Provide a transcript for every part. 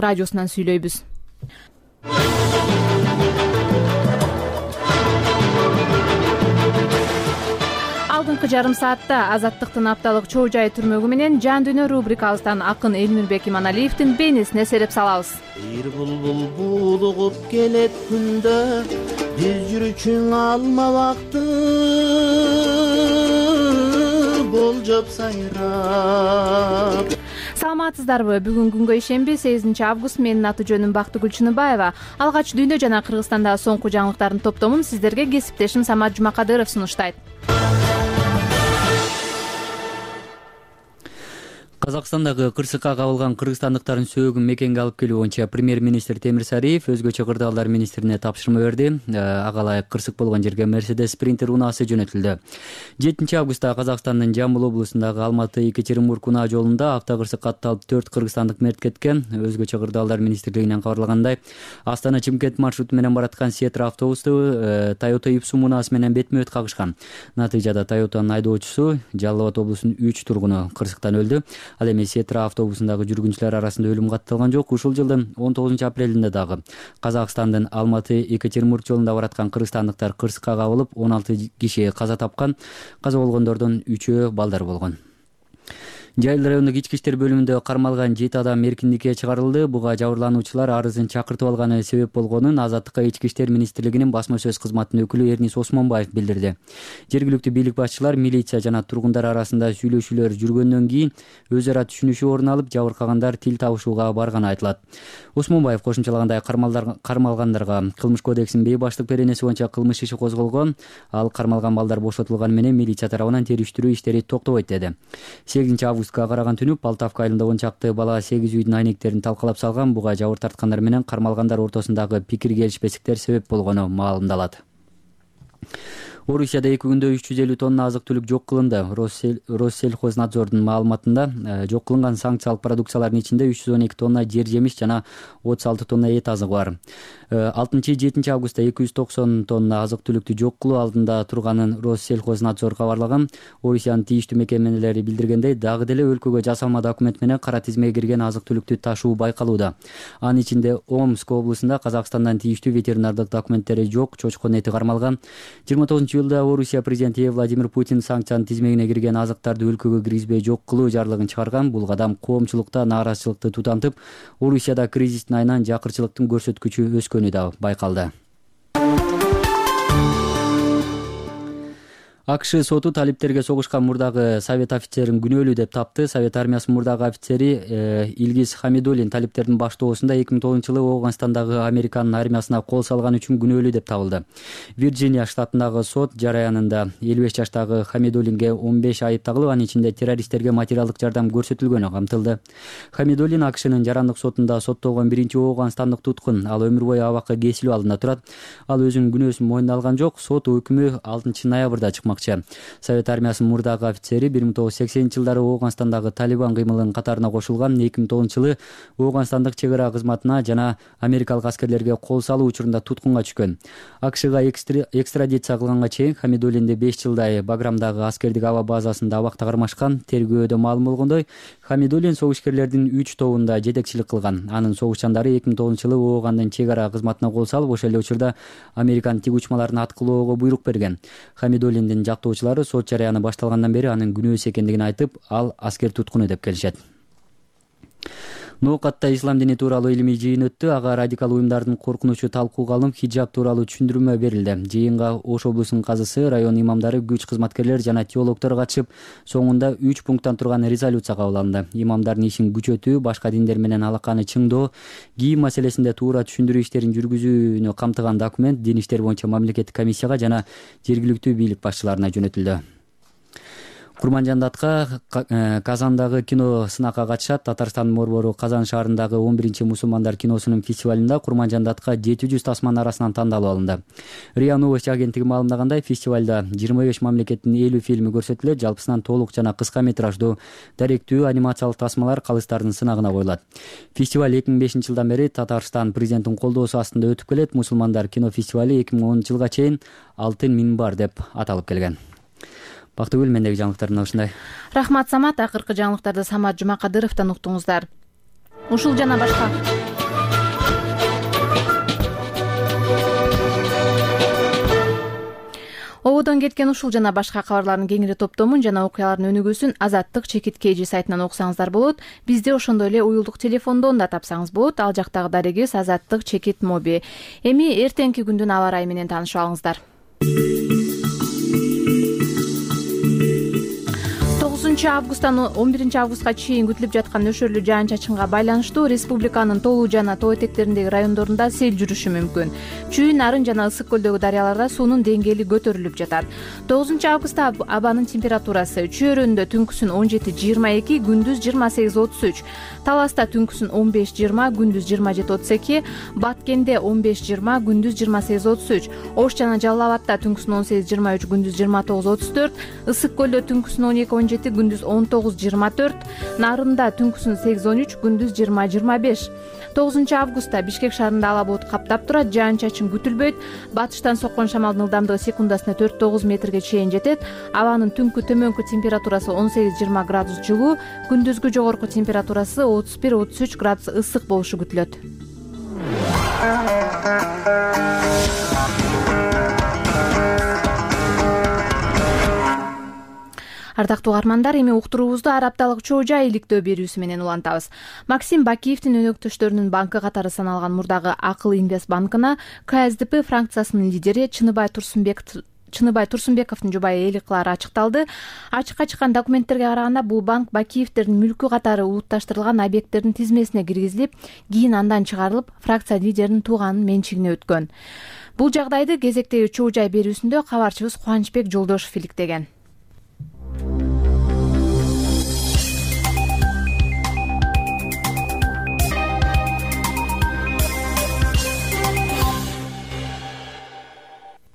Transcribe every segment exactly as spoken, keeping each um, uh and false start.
радиосунан сүйлөйбүз. Алдыңкы жарым саатта Азаттыктын апталык чоо жай түрмөгү менен жан дүйнө рубрикабыздан акын Элмирбек Иманалиевдин бейнесине сереп салабыз. Бир булбул булугуп келет күндө, биз жүрүчүң алма бакты болжоп сайрап. Саламатсыздарбы? Бүгүн күнгө ишемби, сегизинчи август. Менин аты жөнүм Бактыгүл Чыныбаева. Алгач дүйнө жана Кыргызстандагы соңку жаңылыктардын топтомун сиздерге кесиптешим Самат Жумакадыров сунуштайт. Казакстандагы кырсыкка кабылган кыргызстандыктардын сөөгүн мекенге алып келүү боюнча премьер-министр Темир Сариев өзгөчө кырдаалдар министрине тапшырма берди. Ага ылайык кырсык болгон жерге Мерседес Спринтер унаасы жөнөтүлдү. жетинчи августта Казакстандын Жамбыл облусундагы Алматы-Екатеринбург унаа жолунда автокырсык катталып төрт кыргызстандык мерт кеткен. Өзгөчө кырдаалдар министрлигинен кабарлагандай, Астана-Чымкент маршруту менен бараткан Сетра автобусту Toyota Ipsum унаасы менен бетме-бет кагышкан. Натыйжада Toyota'нын айдоочусу Жалал Абад облусунун үч тургуну кырсыктан өлдү. Ал эми Сетра автобусундагы жүргүнчүлөр арасында өлүм катталган жок. Ушул жылдын он тогузунчу апрелинде дагы Казакстандын Алматы-Екатеринбург жолунда бараткан кыргызстандыктар кырсыкка кабылып, он алты киши каза тапкан. Каза болгондордун үчөө балдар болгон. Жайыл райондук ички иштер бөлүмүндө кармалган жети адам эркиндикке чыгарылды. Буга жабырлануучулар арызын чакыртып алганы себеп болгонун Азаттыкка ички иштер министрлигинин басма сөз кызматынын өкүлү Эрнис Осмонбаев билдирди. Жергиликтүү бийлик башчылар, милиция жана тургундар арасында сүйлөшүүлөр жүргөндөн кийин өз ара түшүнүшүү орун алып, жабыркагандар тил табышууга барганы айтылат. Осмонбаев кошумчалагандай, кармалгандарга Кылмыш кодексинин бейбаштык беренеси боюнча кылмыш иши козголгон. Ал кармалган балдар бошотулганы менен милиция тарабынан териштирүү иштери токтобойт деди. сегизинчи августка караган түнү Полтавка айылында он чакты бала сегиз үйдүн айнектерин талкалап салган. Буга жабыр тарткандар менен кармалгандар ортосундагы пикир келишпестиктер себеп болгону маалымдалат. Орусияда эки күндө үч жүз элүү тонна азык-түлүк жок кылынды. Россельхознадзордун маалыматында жок кылынган санкциялык продукциялардын ичинде үч жүз он эки тонна жер жемиш жана отуз алты тонна эт азыгы бар. алтынчы жетинчи августта эки жүз токсон тонна азык-түлүктү жок кылуу алдында турганын Россельхознадзор кабарлаган. Орусиянын тийиштүү мекемелери билдиргендей, дагы деле өлкөгө жасалма документ менен кара тизмеге кирген азык-түлүктү ташуу байкалууда. Анын ичинде Омск облусунда Казакстандан тийиштүү ветеринардык документтери жок чочкон эти кармалган. жыйырма тогузунчу жылда Орусия президенти Владимир Путин санкциянын тизмегине кирген азыктарды өлкөгө киргизбей жок кылуу жарлыгын чыгарган. Бул кадам коомчулукта нааразычылыкты тутантып, Орусияда кризистин айынан жакырчылыктын көрсөткүчү өскөнү да байкалды. АКШ соту талиптерге согушкан мурдагы совет офицерин күнөөлүү деп тапты. Совет армиясынын мурдагы офицери Илгиз Хамидуллин талиптердин баштоосунда эки миң тогузунчу жылы Оуганстандагы Американын армиясына кол салган үчүн күнөөлүү деп табылды. Вирджиния штатындагы сот жараянында элүү беш жаштагы Хамидуллинге он беш айып тагылып, анын ичинде террористтерге материалдык жардам көрсөтүлгөнү камтылды. Хамидуллин АКШнын жарандык сотунда соттолгон биринчи оуганстандык туткун. Ал өмүр бою абакка кесилүү алдында турат. Ал өзүнүн күнөөсүн мойнуна алган жок. Сот өкүмү алтынчы ноябрда чыкмак. Совет армиясынын мурдагы офицери бир миң тогуз жүз сексенинчи жылдары Оуганстандагы Талибан кыймылынын катарына кошулган. эки миң тогузунчу жылы Оуганстандык чек ара кызматына жана америкалык аскерлерге кол салуу учурунда туткунга түшкөн. АКШга экстрадиция кылганга чейин Хамидуллинди беш жылдай Баграмдагы аскердик аба базасында абакта кармашкан. Тергөөдө маалым болгондой, Хамидуллин согушкерлердин үч тобунда жетекчилик кылган. Анын согушчандары эки миң тогузунчу жылы Оогандын чек ара кызматына кол салып, ошол эле учурда Американын тиг учмаларын аткылоого буйрук берген. Хамидуллиндин жактоочулары сот жараяны башталгандан бери анын күнөөсү экендигин айтып, ал аскер туткуну деп келишет. Ноокатта ислам дини тууралуу илимий жыйын өттү. Ага радикал уюмдардын коркунучу талкууга алынып, хиджаб тууралуу түшүндүрмө берилди. Жыйынга Ош облусунун казысы, район имамдары, күч кызматкерлери жана теологдор катышып, соңунда үч пункттан турган резолюция кабыл алынды. Имамдардын ишин күчөтүү, башка диндер менен алаканы чыңдоо, кийим маселесинде туура түшүндүрүү иштерин жүргүзүүнү камтыган документ дин иштери боюнча мамлекеттик комиссияга жана жергиликтүү бийлик башчыларына жөнөтүлдү. Курманжандатка Казандагы кино сынакка катышат. Татарстандын борбору Казан шаарындагы он биринчи мусулмандар киносунун фестивалында Курманжандатка жети жүз тасман арасынан тандалып алынды. РИА Новости агенттиги маалымдагандай, фестивалда жыйырма беш мамлекеттин элүү фильми көрсөтүлөт. Жалпысынан толук жана кыска метраждуу даректүү анимациялык тасмалар калыстардын сынагына коюлат. Фестиваль эки миң бешинчи жылдан бери Татарстан президентинин колдоосу астында өтүп келет. Мусулмандар кино фестивали эки миң онунчу жылга чейин Алтын минбар деп аталып келген. Бактыгүл, мендеги жаңылыктар мына ушундай. Рахмат Самат. Акыркы жаңылыктарды Самат Жумакадыровдон уктуңуздар. Ушул жана башка ободон кеткен ушул жана башка кабарлардын кеңири топтомун жана окуялардын өнүгүүсүн Азаттык чекит kg сайтынан окусаңыздар болот. Бизди ошондой эле уюлдук телефондон да тапсаңыз болот. Ал жактагы дарегибиз Азаттык чекит моби. Эми эртеңки күндүн аба ырайы менен таанышып алыңыздар. тогузунчу августтан он биринчи августка чейин күтүлүп жаткан нөшөрлүү жаан-чачынга байланыштуу республиканын толуу жана тоо этектериндеги райондорунда сел жүрүшү мүмкүн. Чүйүн, Нарын жана Ысык көлдөгү дарыяларда суунун деңгээли көтөрүлүп жатат. тогузунчу августта абанын температурасы Чүйөрөндө түнкүсүн он жети жыйырма эки, күндүз жыйырма сегиз отуз үч, Таласта түнкүсүн он беш жыйырма, күндүз жыйырма жети отуз эки, Баткенде он беш жыйырма, күндүз жыйырма сегиз отуз үч, Ош жана Жалал абадта түнкүсүн он сегиз жыйырма үч, күндүз жыйырма тогуз отуз төрт, Ысык көлдө түнкүсүн он эки он жети, күндүз он тогуз жыйырма төрт, Нарында түнкүсүн сегиз он үч, күндүз жыйырма жыйырма беш. тогузунчу августта Бишкек шаарында ала булут каптап турат, жаан-чачын күтүлбөйт. Батыштан соккон шамалдын ылдамдыгы секундасына төрт тогуз метрге чейин жетет. Абанын түнкү төмөнкү температурасы он сегиз жыйырма градус жылуу, күндүзгү жогорку температурасы отуз бир отуз үч градус ысык болушу күтүлөт. Ардактуу угармандар, эми уктуруубузду ар апталык чоо жай иликтөө берүүсү менен улантабыз. Максим Бакиевдин өнөктөштөрүнүн банкы катары саналган мурдагы Акыл Инвест банкына ка эс дэ пэ фракциясынын лидери Чыныбай Турсунбеков Чыныбай Турсунбековдун жубайы ээлик кылары ачыкталды. Ачыкка чыккан документтерге караганда, бул банк Бакиевдердин мүлкү катары улутташтырылган объекттердин тизмесине киргизилип, кийин андан чыгарылып, фракция лидеринин тууганынын менчигине өткөн. Бул жагдайды кезектеги чоо жай берүүсүндө кабарчыбыз Кубанычбек Жолдошов иликтеген.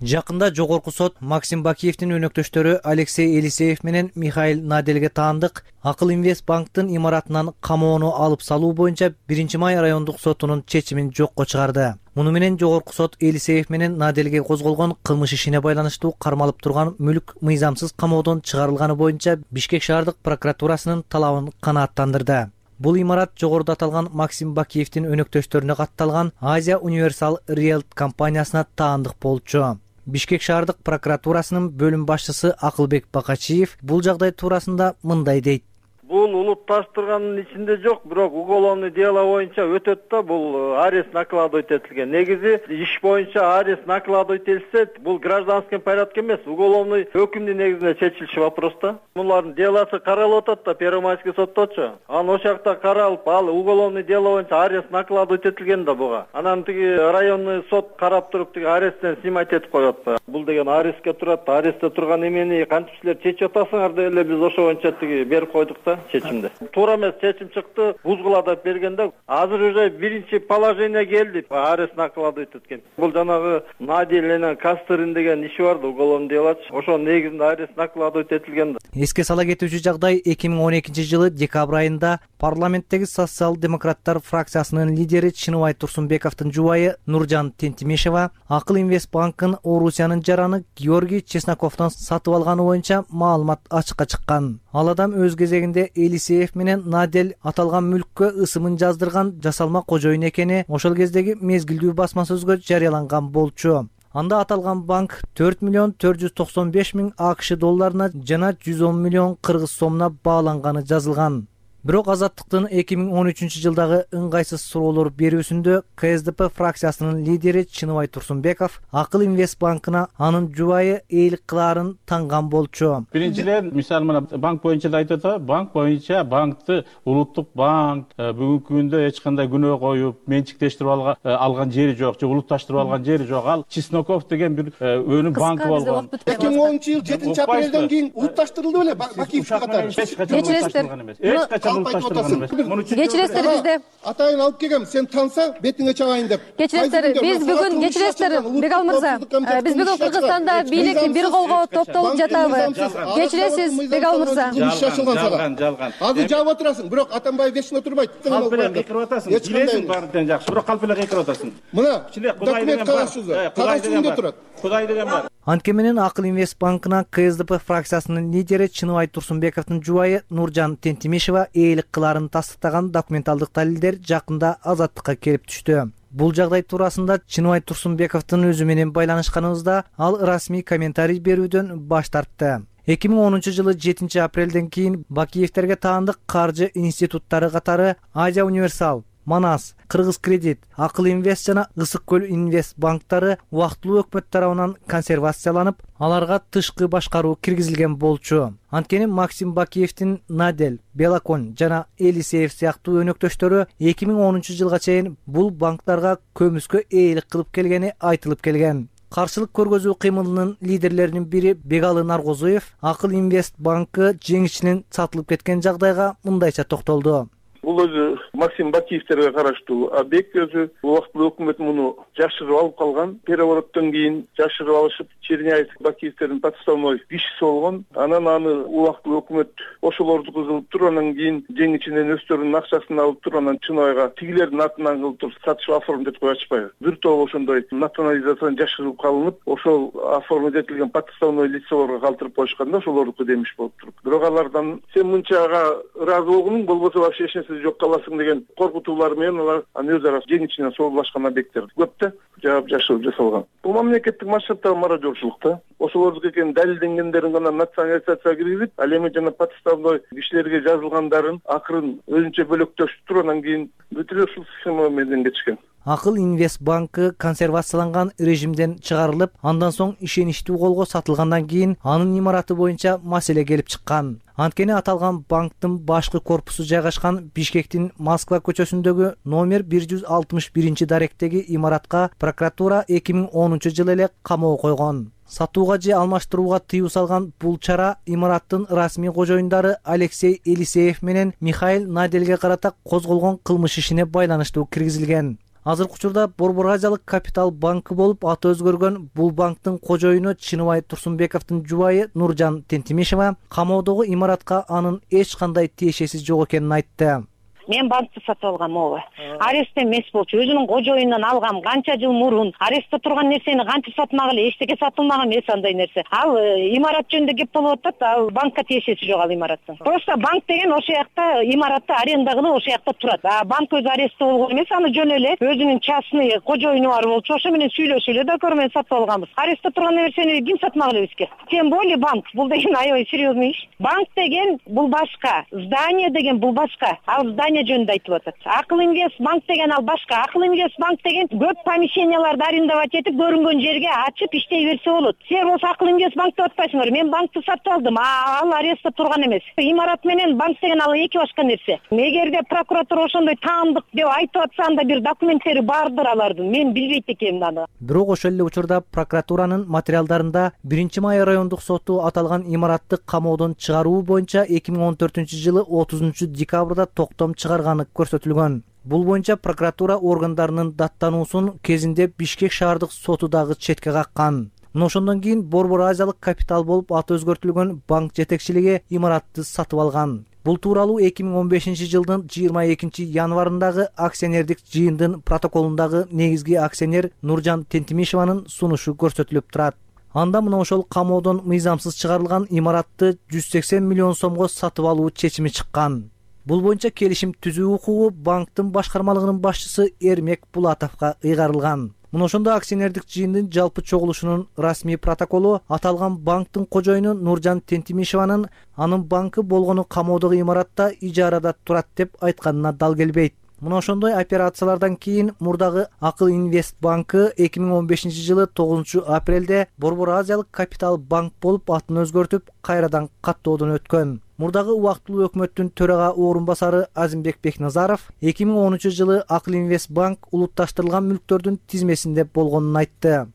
Жакында жогорку сот Максим Бакиевдин өнөктөштөрү Алексей Елисеев менен Михаил Наделге таандык Акыл Инвест банктын имаратынан камоону алып салуу боюнча биринчи май райондук сотунун чечимин жокко чыгарды. Муну менен жогорку сот Елисеев менен Наделге козголгон кылмыш ишине байланыштуу кармалып турган мүлк мыйзамсыз камоодон чыгарылганы боюнча Бишкек шаардык прокуратурасынын талабын канааттандырды. Бул имарат жогоруда аталган Максим Бакиевдин өнөктөштөрүнө катталган Азия Универсал Риэлт компаниясына таандык болчу. Бишкек шаардык прокуратурасынын бөлүм башчысы Акылбек Бакачиев бул жагдай туурасында мындай дейт. Бул улутташтырганын ичинде жок, бирок уголовный дело боюнча өтөт да, бул арест накладывать этилген. Негизи иш боюнча арест накладывать этилсе, бул гражданский порядок эмес, уголовный өкүмдүн негизинде чечилчү вопрос да. Булардын делосы каралып атат да, Первомайский сотточу. Анан ошол жакта каралып, ал уголовный дело боюнча арест накладывать этилген да буга. Анан тиги районный сот карап туруп, тиги аресттен снимать этип коет. Бул деген арестке турат, арестте турган эмени кантип силер чечип атасыңар деп эле биз ошо боюнча тиги берип койдук да. Чечимде. Туура эмес чечим чыкты, бузгула деп бергенде азыр уже биринчи положение келди, арест накладывать эткен. Бул жанагы Надель менен Кастырин деген иши бар да, уголовный дело. Ошонун негизинде арест накладывать этилген да. Эске сала кетүүчү жагдай эки миң он экинчи жылы декабрь айында парламенттеги социал-демократтар фракциясынын лидери Чыныбай Турсунбековдун жубайы Нуржан Тентимешева Акыл Инвест банкын Орусиянын жараны Георгий Чесноковдон сатып алганы боюнча маалымат ачыкка чыккан. Ал адам өз кезегинде Елисеев менен Надель аталган мүлккө ысымын жаздырган жасалма кожоюн экени ошол кездеги мезгилдүү басма сөзгө жарыяланган болчу. Анда аталган банк төрт миллион төрт жүз токсон беш миң АКШ долларына жана жүз он миллион кыргыз сомуна бааланганы жазылган. Бирок Азаттыктын эки миң он үчүнчү жылдагы ыңгайсыз суроолор берүүсүндө ка эс дэ пэ фракциясынын лидери Чыныбай Турсунбеков Акыл Инвест банкына анын жубайы ээлик кылаарын танган болчу. Биринчиден, мисалы менен банк боюнча да айтып атат, банк боюнча банкты улуттук банк бүгүнкү күндө эч кандай күнөө коюп, менчиктештирип алган жери жок, же улутташтырып алган жери жок. Ал Чесноков деген бир өнүм банкы болгон. эки миң онунчу жыл жетинчи апрелден кийин улутташтырылды беле Бакиев катары. Эч качан Кечиресиздер, бизде атайын алып келгем, сен тансаң бетиңе чабайын деп. Кечиресиздер, биз бүгүн кечиресиздер, Бегал мырза, биз бүгүн Кыргызстанда бийлик бир колго топтолуп жатабыз. Кечиресиз, Бегал мырза. Жалган, жалган. Азыр жаап отурасың, бирок Атамбаев вечно турбайт. Калп эле кыйкырып атасың. Билесиң баардыгынан жакшы, бирок калп эле кыйкырып атасың. Мына документ кагазсыздар. Кагазында турат. Кудай деген бар. Антке менен Акыл Инвест банкына ка эс дэ пэ фракциясынын лидери Чыныбай Турсунбековдун жубайы Нуржан Тентимешева ээлик кылаарын тастыктаган документалдык далилдер жакында Азаттыкка келип түштү. Бул жагдай туурасында Чыныбай Турсунбековдун өзү менен байланышканыбызда ал расмий комментарий берүүдөн баш тартты. эки миң онунчу жылы жетинчи апрелден кийин Бакиевтерге таандык каржы институттары катары Азия Универсал, Манас, Кыргыз Кредит, Акыл Инвест жана Ысык Көл Инвест банктары убактылуу өкмөт тарабынан консервацияланып, аларга тышкы башкаруу киргизилген болчу. Анткени Максим Бакиевдин Надель, Белакон жана Элисеев сыяктуу өнөктөштөрү эки миң онунчу жылга чейин бул банктарга көмүскө ээлик кылып келгени айтылып келген. Каршылык көргөзүү кыймылынын лидерлеринин бири Бегалы Наргозуев Акыл Инвест банкы жеңишчинин сатылып кеткен жагдайга мындайча токтолду. Бул өзү Максим Бакиевтерге караштуу объект өзү убактылуу өкмөт муну жашырып алып калган. Перевороттон кийин жашырып алышып, Черняев Бакиевтердин подставной кишиси болгон. Анан аны убактылуу өкмөт ошолорду кылып туруп, анан кийин жеңичинен өздөрүнүн акчасын алып туруп, анан Чыныбайга тигилердин атынан кылып туруп сатыш оформить этип ачпайбы. Бир топ ошондой национализациядан жашырып калынып, ошол оформить этилген подставной лицолорго калтырып коюшканда ошолордуку демиш болуп туруп. Бирок алардан сен мынчага ыраазы болгонуң болбосо вообще эч нерсе жок каласың деген коркутуулар менен алар аны өз ара жеңичинен соолдашкан объекттер көп да жаап жашырып жасалган. Бул мамлекеттик масштабтагы мародёрчулук да. Ошолордуку экенин далилденгендерин гана национализацияга киргизип, ал эми жана подставной кишилерге жазылгандарын акырын өзүнчө бөлөктөшүп туруп, анан кийин бүт эле ушул схема менен кетишкен. Акыл Инвест банкы консервацияланган режимден чыгарылып, андан соң ишеничтүү колго сатылгандан кийин анын имараты боюнча маселе келип чыккан. Анткени аталган банктын башкы корпусу жайгашкан Бишкектин Москва көчөсүндөгү номер бир жүз алтымыш биринчи даректеги имаратка прокуратура эки миң онунчу жылы эле камоо койгон. Сатууга же алмаштырууга тыюу салган бул чара имараттын расмий кожоюндары Алексей Элисеев менен Михаил Надельге карата козголгон кылмыш ишине байланыштуу киргизилген. Азыркы учурда Борбор Азиялык Капитал банкы болуп аты өзгөргөн бул банктын кожоюну Чыныбай Турсунбековдун жубайы Нуржан Тентимишева камоодогу имаратка анын эч кандай тиешеси жок экенин айтты. Мен банкты сатып алгам, ооба. Арестте эмес болчу. Өзүнүн кожоюнунан алгам, канча жыл мурун. Арестте турган нерсени кантип сатмак эле, эчтеке сатылмаган эмес андай нерсе. Ал имарат жөнүндө кеп болуп атат, ал банкка тиешеси жок ал имараттын. Просто банк деген ошол жакта имаратты аренда кылып ошол жакта турат. А банк өзү арестте болгон эмес, аны жөн эле өзүнүн частный кожоюну бар болчу. Ошо менен сүйлөшүп эле договор менен сатып алганбыз. Арестте турган нерсени ким сатмак эле бизге? Тем более банк. Бул деген аябай серьезный иш. Банк деген бул башка, здание деген бул башка. Ал здание жөнүндө айтып атат. Акыл Инвест банк деген ал башка. Акыл Инвест банк деген көп помещенияларды арендовать этип, көрүнгөн жерге ачып иштей берсе болот. Сен болсо Акыл Инвест банк деп атпайсыңар. Мен банкты сатып алдым, а ал арестте турган эмес. Имарат менен банк деген ал эки башка нерсе. Эгерде прокуратура ошондой таандык деп айтып атса, анда бир документтери бардыр алардын. Мен билбейт экенмин аны. Бирок ошол эле учурда прокуратуранын материалдарында биринчи май райондук соту аталган имаратты камоодон чыгаруу боюнча эки миң он төртүнчү жылы отузунчу декабрда токтом чыгарганы көрсөтүлгөн. Бул боюнча прокуратура органдарынын даттануусун кезинде Бишкек шаардык соту дагы четке каккан. Мына ошондон кийин Борбор Азиялык Капитал болуп аты өзгөртүлгөн банк жетекчилиги имаратты сатып алган. Бул тууралуу эки миң он бешинчи жылдын жыйырма экинчи январындагы акционердик жыйындын протоколундагы негизги акционер Нуржан Тентимишеванын сунушу көрсөтүлүп турат. Анда мына ошол камоодон мыйзамсыз чыгарылган имаратты жүз сексен миллион сомго сатып алуу чечими чыккан. Бул боюнча келишим түзүү укугу банктын башкармалыгынын башчысы Эрмек Булатовго ыйгарылган. Мына ошондо акционердик жыйындын жалпы чогулушунун расмий протоколу аталган банктын кожоюну Нуржан Тентимишеванын анын банкы болгону камоодогу имаратта ижарада турат деп айтканына дал келбейт. Мына ошондой операциялардан кийин мурдагы Акыл Инвест банкы эки миң он бешинчи жылы тогузунчу апрелде Борбор Азиялык Капитал банк болуп атын өзгөртүп, кайрадан каттоодон өткөн. Мурдагы убактылуу өкмөттүн төрага орун басары Азимбек Бекназаров эки миң онунчу жылы Акыл Инвест банк улутташтырылган мүлктөрдүн тизмесинде болгонун айтты.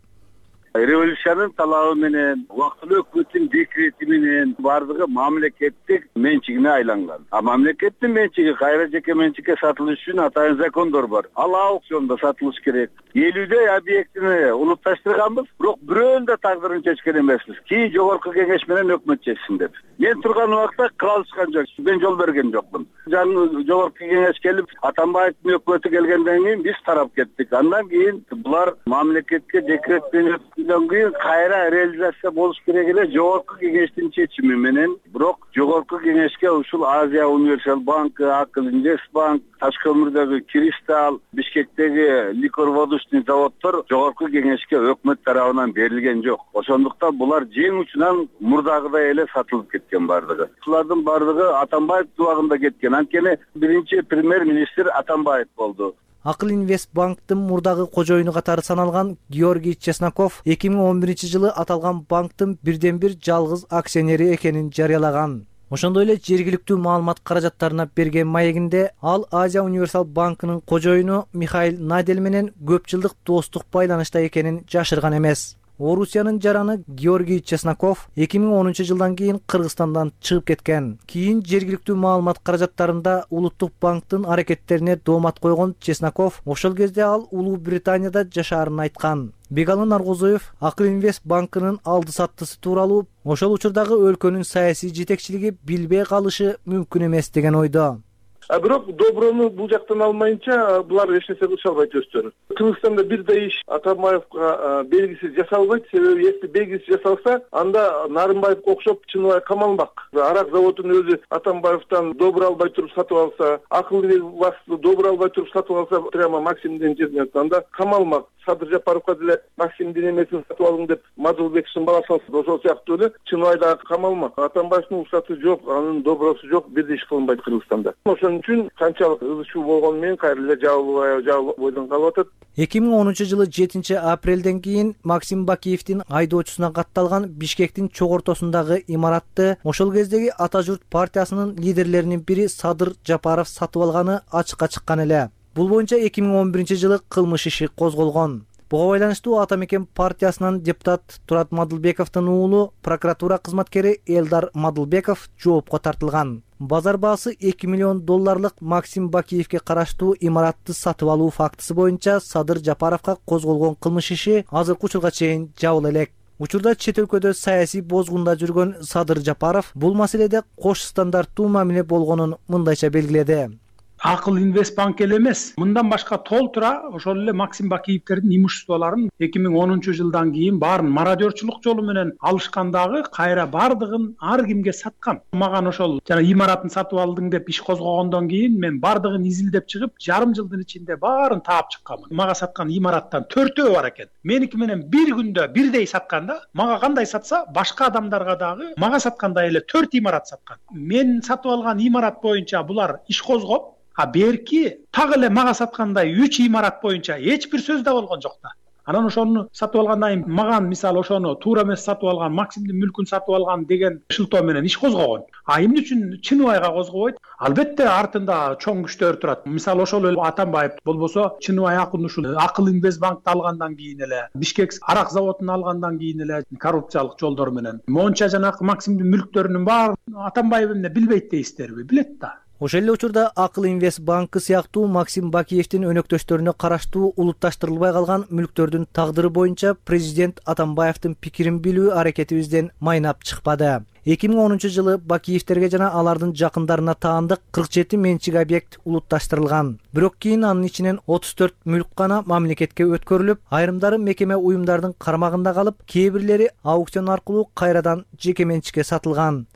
Революциянын талабы менен, убактылуу өкмөттүн декрети менен бардыгы мамлекеттик менчигине айланган. А мамлекеттин менчиги кайра жеке менчикке сатылыш үчүн атайын закондор бар. Ал аукциондо сатылыш керек. элүүдөй объектини улутташтырганбыз, бирок бирөөнүн да тагдырын чечкен эмеспиз. Кийин жогорку кеңеш менен өкмөт чечсин деп. мен турган убакта кылышкан жок, мен жол берген жокмун. Жаңы жогорку кеңеш келип Атамбаевдин өкмөтү келгенден кийин биз тарап кеттик. Андан кийин булар мамлекетке декрет менен өткөндөн кийин кайра реализация болуш керек эле жогорку кеңештин чечими менен. Бирок жогорку кеңешке ушул Азия Универсал банкы, Акыл Инвестбанк, Ташкы Өмүрдөгү Кристалл, Бишкектеги ликор-водочный заводдор жогорку кеңешке өкмөт тарабынан берилген жок. Ошондуктан булар жең учунан мурдагыдай эле сатылып кеткен бардыгы. Булардын бардыгы Атамбаев убагында кеткен. Анткени биринчи премьер-министр Атамбаев болду. Акыл Инвестбанктын мурдагы кожоюну катары саналган Георгий Чесноков эки миң он биринчи жылы аталган банктын бирден бир жалгыз акционери экенин жарыялаган. Ошондой эле жергиликтүү маалымат каражаттарына берген маегинде ал Азия Универсал банкынын кожоюну Михаил Надель менен көп жылдык достук байланышта экенин жашырган эмес. Орусиянын жараны Георгий Чесноков эки миң онунчу жылдан кийин Кыргызстандан чыгып кеткен. Кийин жергиликтүү маалымат каражаттарында Улуттук банктын аракеттерине доомат койгон Чесноков ошол кезде ал Улуу Британияда жашаарын айткан. Бегалы Наргозоев Акыл Инвест банкынын алды саттысы тууралуу ошол учурдагы өлкөнүн саясий жетекчилиги билбей калышы мүмкүн эмес деген ойдо. А бирок доброну бул жактан алмайынча булар эч нерсе кылыша албайт өздөрү. Кыргызстанда бирдей иш Атамбаевга белгисиз жасалбайт. Себеби если белгисиз жасалса, анда Нарымбаевге окшоп Чыныбай камалмак. Арак заводун өзү Атамбаевтан добур албай туруп сатып алса, Акыл Инвестбанкты добур албай туруп сатып алса, прямо Максимдин жерине анда камалмак. Садыр Жапаровго деле Максимдин эмесин сатып алдым деп Мадылбековдун баласы ошол сыяктуу эле Чыныбай дагы камалмак. Атамбаевдин уруксаты жок, анын добросу жок, бирдей иш кылынбайт Кыргызстанда. Ошон үчүн канчалык ызы чуу болгону менен кайра эле жабылбай жабылбойдон калып атат. эки миң онунчу жылы жетинчи апрелден кийин Максим Бакиевдин айдоочусуна катталган Бишкектин чок ортосундагы имаратты ошол кездеги Ата журт партиясынын лидерлеринин бири Садыр Жапаров сатып алганы ачыкка чыккан эле. Бул боюнча эки миң он биринчи жылы кылмыш иши козголгон. Буга байланыштуу Ата мекен партиясынын депутат Турат Мадылбековдун уулу прокуратура кызматкери Элдар Мадылбеков жоопко тартылган. Базар баасы эки миллион долларлык Максим Бакиевге караштуу имаратты сатып алуу фактысы боюнча Садыр Жапаровго козголгон кылмыш иши азыркы учурга чейин жабыла элек. Учурда чет өлкөдө саясий бозгунда жүргөн Садыр Жапаров бул маселеде кош стандарттуу мамиле болгонун мындайча белгиледи. Акыл Инвестбанк эле эмес, мындан башка толтура ошол эле Максим Бакиевдердин имуществолорун эки миң онунчу жылдан кийин баарын мародерчулук жолу менен алышкандагы кайра бардыгын ар кимге саткан. Маган ошол жана имаратын сатып алдың деп иш козгогондон кийин мен бардыгын изилдеп чыгып, жарым жылдын ичинде баарын таап чыкканмын. Мага саткан имараттан төртөө бар экен. Меники менен бир күндө бирдей сатканда, мага кандай сатса, башка адамдарга дагы мага саткандай эле төрт имарат саткан. Мен сатып алган имарат боюнча булар иш козгоп, а берки так эле мага саткандай үч имарат боюнча эч бир сөз да болгон жок да. Анан ошону сатып алгандан кийин маган мисалы ошону туура эмес сатып алган, Максимдин мүлкүн сатып алган деген шылтоо менен иш козгогон. А эмне үчүн Чыныбайга козгобойт? Албетте артында чоң күчтөр турат. Мисалы ошол эле Атамбаев болбосо Чыныбай акын ушул Акыл Инвестбанкты алгандан кийин эле, Бишкек арак заводун алгандан кийин эле коррупциялык жолдор менен монча жанагы Максимдин мүлктөрүнүн баары Атамбаев эмне билбейт дейсиздерби? Билет да. Ошол эле учурда Акыл Инвестбанкы сыяктуу Максим Бакиевдин өнөктөштөрүнө караштуу улутташтырылбай калган мүлктөрдүн тагдыры боюнча президент Атамбаевдин пикирин билүү аракетибизден майнап чыкпады. эки миң онунчу жылы Бакиевдерге жана алардын жакындарына таандык кырк жети менчик объект улутташтырылган. Бирок кийин анын ичинен отуз төрт мүлк гана мамлекетке өткөрүлүп, айрымдары мекеме уюмдардын кармагында калып, кээ бирлери аукцион аркылуу кайрадан жеке менчикке сатылган.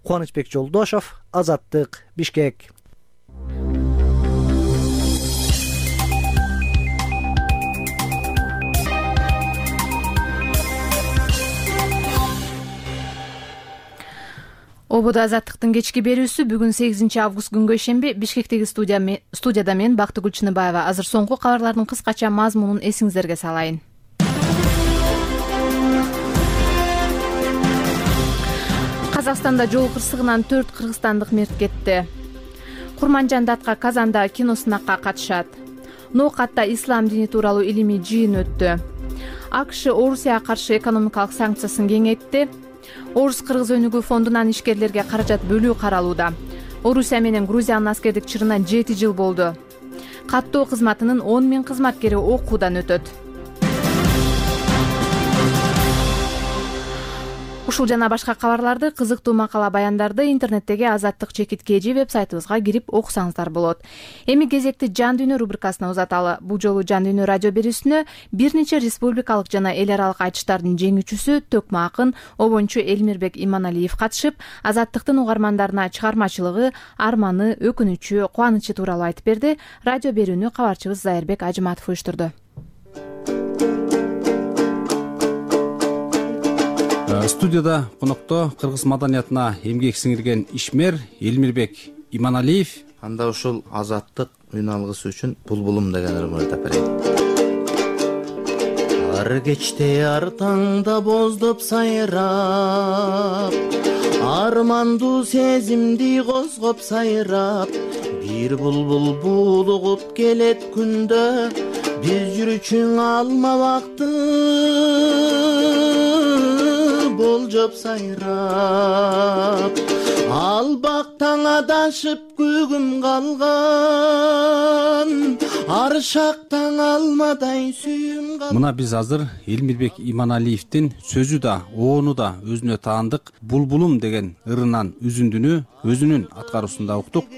Кубанычбек Жолдошов, Азаттык, Бишкек. Ободо Азаттыктын кечки берүүсү бүгүн сегизинчи август күнгө ишемби Бишкектеги студияда мен Бактыгүл Чыныбаева. Азыр соңку кабарлардын кыскача мазмунун эсиңиздерге салайын. Казакстанда жол кырсыгынан төрт кыргызстандык мерт кетти. Курманжан Датка Казанда киносынакка катышат. Ноокатта ислам дини тууралуу илимий жыйын өттү. АКШ Орусияга каршы экономикалык санкциясын кеңейтти. Орус-Кыргыз өнүгүү фондунан ишкерлерге каражат бөлүү каралууда. Орусия менен Грузиянын аскердик чырына жети жыл болду. Каттоо кызматынын он миң кызматкери окуудан өтөт. Ушул жана башка кабарларды, кызыктуу макала баяндарды интернеттеги Азаттык чекит кж веб-сайтыбызга кирип окусаңыздар болот. Эми кезекти Жан дүйнө рубрикасына узаталы. Бул жолу Жан дүйнө радио берүүсүнө бир нече республикалык жана эл аралык айтыштардын жеңүүчүсү Төкмө акын Обончу Элмирбек Иманалиев катышып, Азаттыктын угармандарына чыгармачылыгы, арманы, өкүнүчү, кубанычы тууралуу айтып берди. Радио берүүнү кабарчыбыз Зайырбек Ажыматов уюштурду. Студияда конокто кыргыз маданиятына эмгек сиңирген ишмер Элмирбек Иманалиев. Анда ушул азаттык үн алгысы үчүн Булбулум деген ырым айтып берейин. Ар кечте ар таңда боздоп сайрап, армандуу сезимди козгоп сайрап, бир булбул булугуп келет күндө, биз жүрүчүң алма бакты болжоп сайрап, ал бактан адашып көгүм калган, ар шактан алмадай сүйүм калган. Мына биз азыр Элмирбек Иманалиевдин сөзү да, оону да өзүнө таандык Булбулум деген ырынан үзүндүнү өзүнүн аткаруусунда уктук.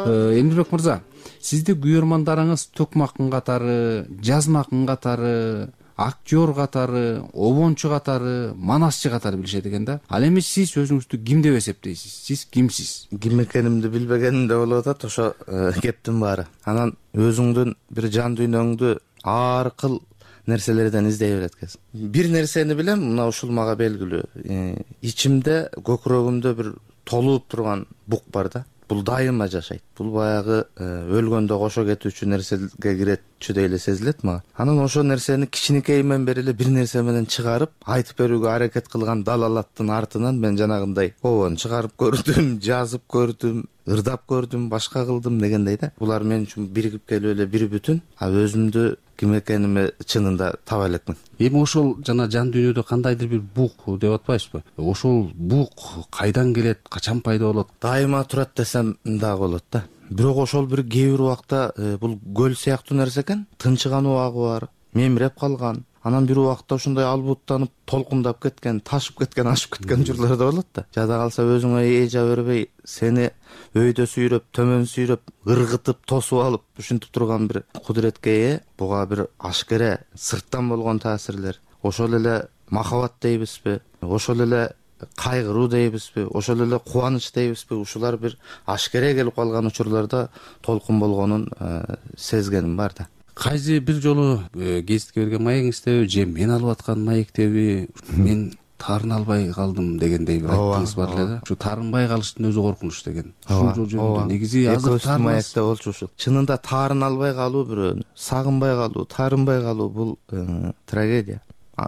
Элмирбек мырза, сизди күйөрмандарыңыз Төкмө акын катары, Жазма акын катары, актер катары, обончу катары, манасчы катары билишет экен да. Ал эми сиз өзүңүздү ким деп эсептейсиз? Сиз кимсиз? Ким экенимди билбегеним да болуп атат, ошо кептин баары. Анан өзүңдүн бир жан дүйнөңдү ар кыл нерселерден издей берет экенсиң. Бир нерсени билем, мына ушул мага белгилүү. Ичимде, көкүрөгүмдө бир толуп турган бук бар да. Бул дайыма жашайт. Бул баягы өлгөндө кошо кетүүчү нерсеге киретчү эле сезилет мага. Анан ошол нерсени кичинекейимден бери эле бир нерсе менен чыгарып, айтып берүүгө аракет кылган далалаттын артынан мен жанагындай обон чыгарып көрдүм, жазып көрдүм, ырдап көрдүм, башка кылдым дегендей да. Булар мен үчүн биригип келип эле бир бүтүн. А өзүмдү ким экениме чынында таба элекмин. Эми ошол жана жан дүйнөдө кандайдыр бир бук деп атпайсызбы? Ошол бук кайдан келет, качан пайда болот? Дайыма турат десем дагы болот да. Бирок ошол бир кээ бир убакта бул көл сыяктуу нерсе экен. Тынчыган убагы бар, мемиреп калган. Анан бир убакта ушундай албуттанып, толкундап кеткен, ташып кеткен, ашып кеткен учурлар да болот да. Жада калса өзүңө эжа бербей, сени өйдө сүйрөп, төмөн сүйрөп, ыргытып, тосуп алып, ушинтип турган бир кудуретке ээ. Буга бир ашкере сырттан болгон таасирлер. Ошол эле махабат дейбизби? Ошол эле кайгыруу дейбизби? Ошол эле кубаныч дейбизби? Ушулар бир ашкере келип калган учурларда толкун болгонун сезгеним бар да. Кайсы бир жолу гезитке берген маегиңиздеби же мен алып аткан маектеби мен тарын албай калдым дегендей бир айттыңыз бар эле да. Ушу таарынбай калыштын өзү коркунуч деген. Ушул жол жөнүндө негизи азыр тарын маекте болчу ушул. Чынында тарын албай калуу бирөөнү, сагынбай калуу, таарынбай калуу бул трагедия.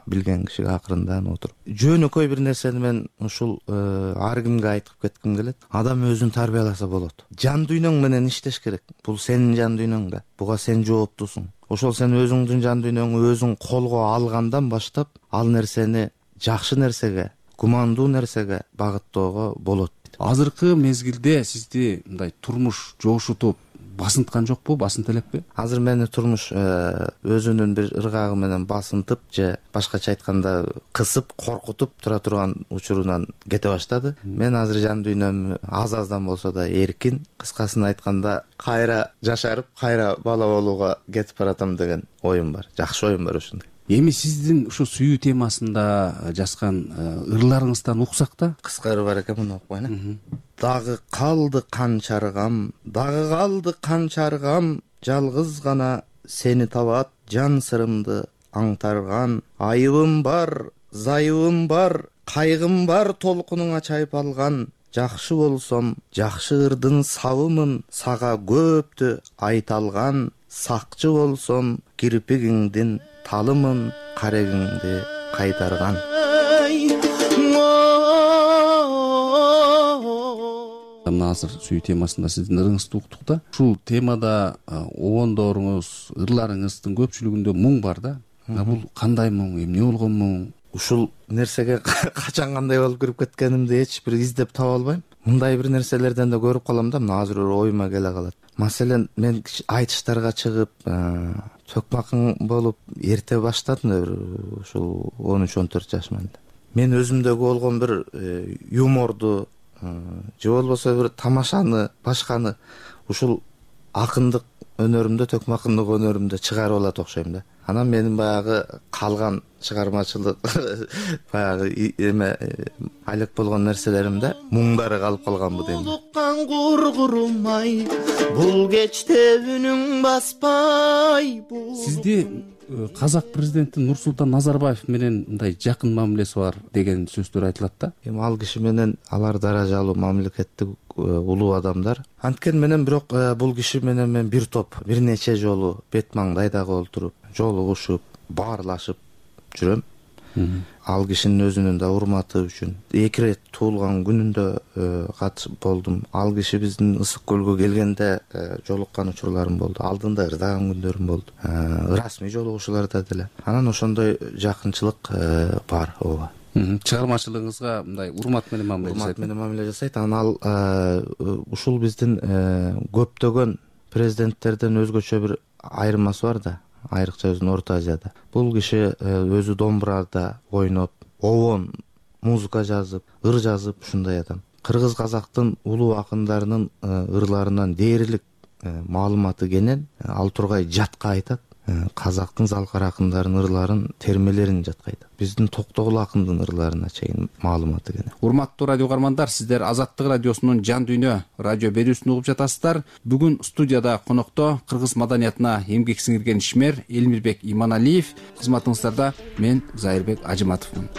Билген кишиге акырындан отуруп. Жөнөкөй бир нерсени мен ушул ар кимге айтып кетким келет. Адам өзүн тарбияласа болот. Жан дүйнөң менен иштеш керек. Бул сенин жан дүйнөң да. Буга сен жооптусуң. Ошол сен өзүңдүн жан дүйнөңдү өзүң колго алгандан баштап, ал нерсени жакшы нерсеге, кумандуу нерсеге багыттоого болот. Азыркы мезгилде сизди мындай турмуш жошутуп басынткан жокпу, басынт элекпи? Азыр мени турмуш өзүнүн бир ыргагы менен басынтып же башкача айтканда кысып, коркутуп тура турган учурунан кете баштады. Мен азыр жан дүйнөм аз-аздан болсо да эркин, кыскасын айтканда кайра жашарып, кайра бала болууга кетип баратам деген оюм бар. Жакшы оюм бар ушундай. Эми сиздин ушу сүйүү темасында жазган ырларыңыздан уксак да? Кыска ыр бар экен, муну окуйн. Дагы калды канчаргам, дагы калды канчаргам, жалгыз гана сени табат жан сырымды аңтарган. Айыбым бар, зайыбым бар, кайгым бар, толкунуңа чайпалган. Жакшы болсом, жакшы ырдын сабымын, сага көптү айталган. Сакчы болсом, кирпигиңдин талымын, карегиңди кайтарган. Мына азыр сүйүү темасында сиздин ырыңызды уктук да. Ушул темада обондоруңуз, ырларыңыздын көпчүлүгүндө муң бар да. Бул кандай муң, эмне болгон муң? Ушул нерсеге качан кандай болуп кирип кеткенимди эч бир издеп таба албайм. Мындай бир нерселерден да көрүп калам да, мына азыр оюма келе калат. Маселен мен айтыштарга чыгып төкмакың болуп эрте баштадым да, ушул он үч он төрт жашыман. Мен өзүмдөгү болгон бир юморду же болбосо бир тамашаны, башканы ушул акындык өнөрүмдө, төкмакындык өнөрүмдө чыгарып алат окшойм да. Анан менин баягы калган чыгармачылык баягы эме айлык болгон нерселеримде муңдары калып калганбы дейм. Улуккан кургурумай, бул кечте үнүң баспай. Сизди казак президенти Нурсултан Назарбаев менен мындай жакын мамилеси бар деген сөздөр айтылат да. Эми ал киши менен алар даражалуу мамлекеттик улуу адамдар. Анткени менен бирок бул киши менен мен бир топ бир нече жолу бет маңдайдагы олтуруп, жолугушуп, баарлашып жүрөм. Ал кишинин өзүнүн да урматы үчүн эки ирет туулган күнүндө катышып болдум. Ал киши биздин Ысык көлгө келгенде жолуккан учурларым болду. Алдында ырдаган күндөрүм болду. Расмий жолугушууларда деле. Анан ошондой жакынчылык бар, ооба. Чыгармачылыгыңызга мындай урмат менен мамиле жасайт. Урмат менен мамиле жасайт. Анан ал ушул биздин көптөгөн президенттерден өзгөчө бир айырмасы бар да. Айрыкча өзүнүн Орто Азияда. Бул киши өзү домбурада ойноп, обон музыка жазып, ыр жазып ушундай адам. Кыргыз казактын улуу акындарынын ырларынан дээрлик маалыматы кенен, ал тургай жатка айтат. Казактын залкар акындарынын ырларын, термелерин жатка айтат. Биздин Токтогул акындын ырларына чейин маалыматы кенен. Урматтуу радио угармандар, сиздер Азаттык радиосунун Жан дүйнө радио берүүсүн угуп жатасыздар. Бүгүн студияда конокто кыргыз маданиятына эмгек сиңирген ишмер Элмирбек Иманалиев, кызматыңыздарда мен Зайырбек Ажыматовмун.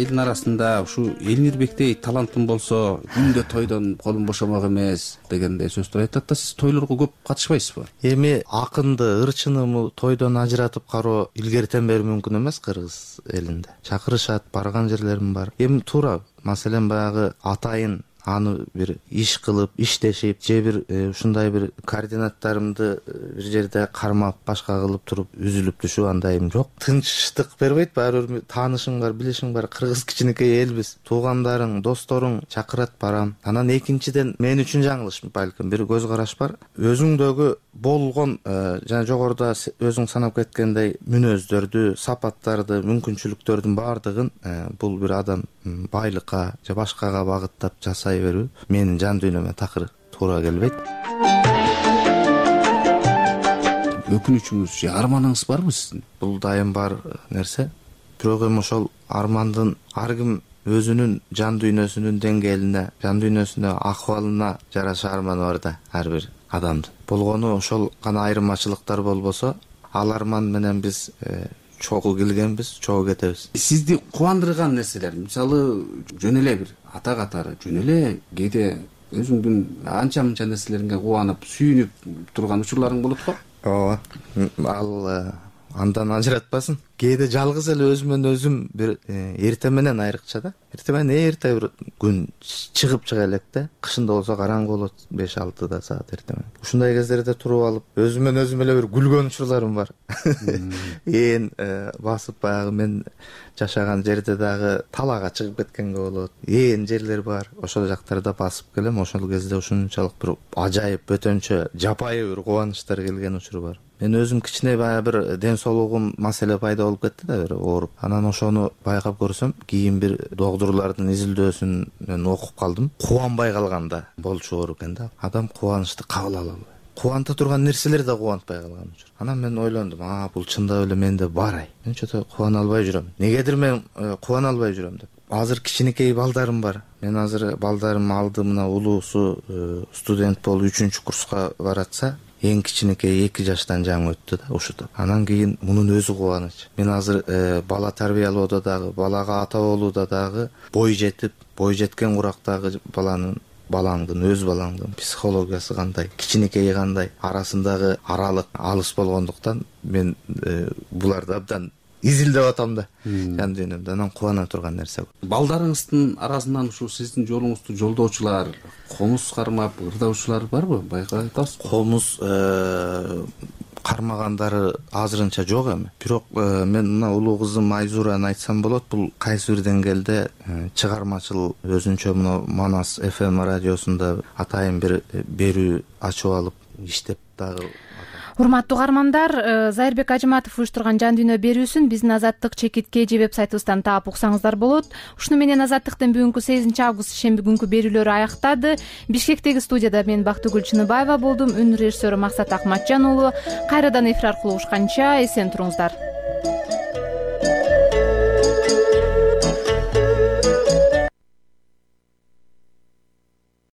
Элдин арасында ушу Элмирбектей талантым болсо, күндө тойдон колум бошомок эмес дегендей сөздөр айтат да, сиз тойлорго көп катышпайсызбы? Эми акынды, ырчынымы тойдон ажыратып кароо илгертен бери мүмкүн эмес кыргыз элинде. Чакырышат, барган жерлерим бар. Эми туура, маселен баягы атайын аны бир иш кылып, иштешип, же бир ушундай бир координаттарымды бир жерде кармап, башка кылып туруп үзүлүп түшүп андайым жок. Тынчтык бербейт, баары бир таанышың бар, билишиң бар. Кыргыз кичинекей элбиз. Туугандарың, досторуң чакырат, барам. Анан экинчиден мен үчүн жаңылыш балким бир көз караш бар. Өзүңдөгү болгон жана жогоруда өзүң санап кеткендей мүнөздөрдү, сапаттарды, мүмкүнчүлүктөрдүн баардыгын бул бир адам байлыкка же башкага багыттап жасай берүү менин жан дүйнөмө такыр туура келбейт. Өкүнүчүңүз же арманыңыз барбы сиздин? Бул дайым бар нерсе. Бирок эми ошол армандын ар ким өзүнүн жан дүйнөсүнүн деңгээлине, жан дүйнөсүнө, акыбалына жараша арманы бар да ар бир адамдын. Болгону ошол гана айырмачылыктар болбосо, ал арман менен биз чогуу келгенбиз, чогуу кетебиз. Сизди кубандырган нерселер, мисалы, жөн эле бир ата катары, жөн эле кээде өзүңдүн анча-мынча нерселериңе кубанып, сүйүнүп турган учурларың болот го? Ооба. Ал андан ажыратпасын. Кээде жалгыз эле өзүмөн өзүм бир эрте менен айрыкча да. Эрте менен эрте бир күн чыгып чыга элек да. Кышында болсо караңгы болот, беш алтыда саат эрте менен. Ушундай кездерде туруп алып, өзүмөн өзүм эле бир күлгөн учурларым бар. Ээн басып баягы мен жашаган жерде дагы талаага чыгып кеткенге болот. Ээн жерлер бар. Ошол жактарда басып келем. Ошол кезде ушунчалык бир ажайып, бөтөнчө, жапайы бир кубанычтар келген учуру бар. Мен өзүм кичине баягы бир ден соолугум маселе пайда болуп кетти да, бир ооруп. Анан ошону байкап көрсөм, кийин бир доктурлардын изилдөөсүнөн окуп калдым. Кубанбай калганда болчу оор экен да. Адам кубанычты кабыл ала албайт. Кубанта турган нерселер да кубантпай калган учур. Анан мен ойлондум, а бул чындап эле менде бар ай. Мен чото кубана албай жүрөм. Негедир мен кубана албай жүрөм деп. Азыр кичинекей балдарым бар. Мен азыр балдарым алды, мына улуусу студент болуп үчүнчү курска баратса, эң кичинекей эки жаштан жаңы өттү да, ушутуп. Анан кийин мунун өзү кубаныч. Мен азыр бала тарбиялоодо дагы, балага ата болууда дагы бой жетип, бой жеткен курактагы баланын балаңдын, өз балаңдын психологиясы кандай, кичинекей кандай, арасындагы аралык алыс болгондуктан мен буларды абдан изилдеп атам да жан дүйнөмдө. Анан кубана турган нерсе. Балдарыңыздын арасынан ушу сиздин жолуңузду жолдоочулар, комуз кармап ырдаучулар барбы? Байкап атасыз? Комуз кармагандары азырынча жок эми. Бирок мен мына улуу кызым Айзураны айтсам болот. Бул кайсы бир деңгээлде чыгармачыл өзүнчө мына Манас эф эм радиосунда атайын бир берүү ачып алып иштеп дагы. Урматтуу угармандар, Зайырбек Ажыматов уюштурган Жан дүйнө берүүсүн биздин Азаттык чекитке же веб-сайтыбыздан таап уксаңыздар болот. Ушуну менен Азаттыктын бүгүнкү сегизинчи август шемби күнкү берүүлөрү аяктады. Бишкектеги студияда мен Бактыгүл Чыныбаева болдум. Үн режиссеру Максат Акматжан уулу. Кайрадан эфир аркылуу угушканча эсен туруңуздар.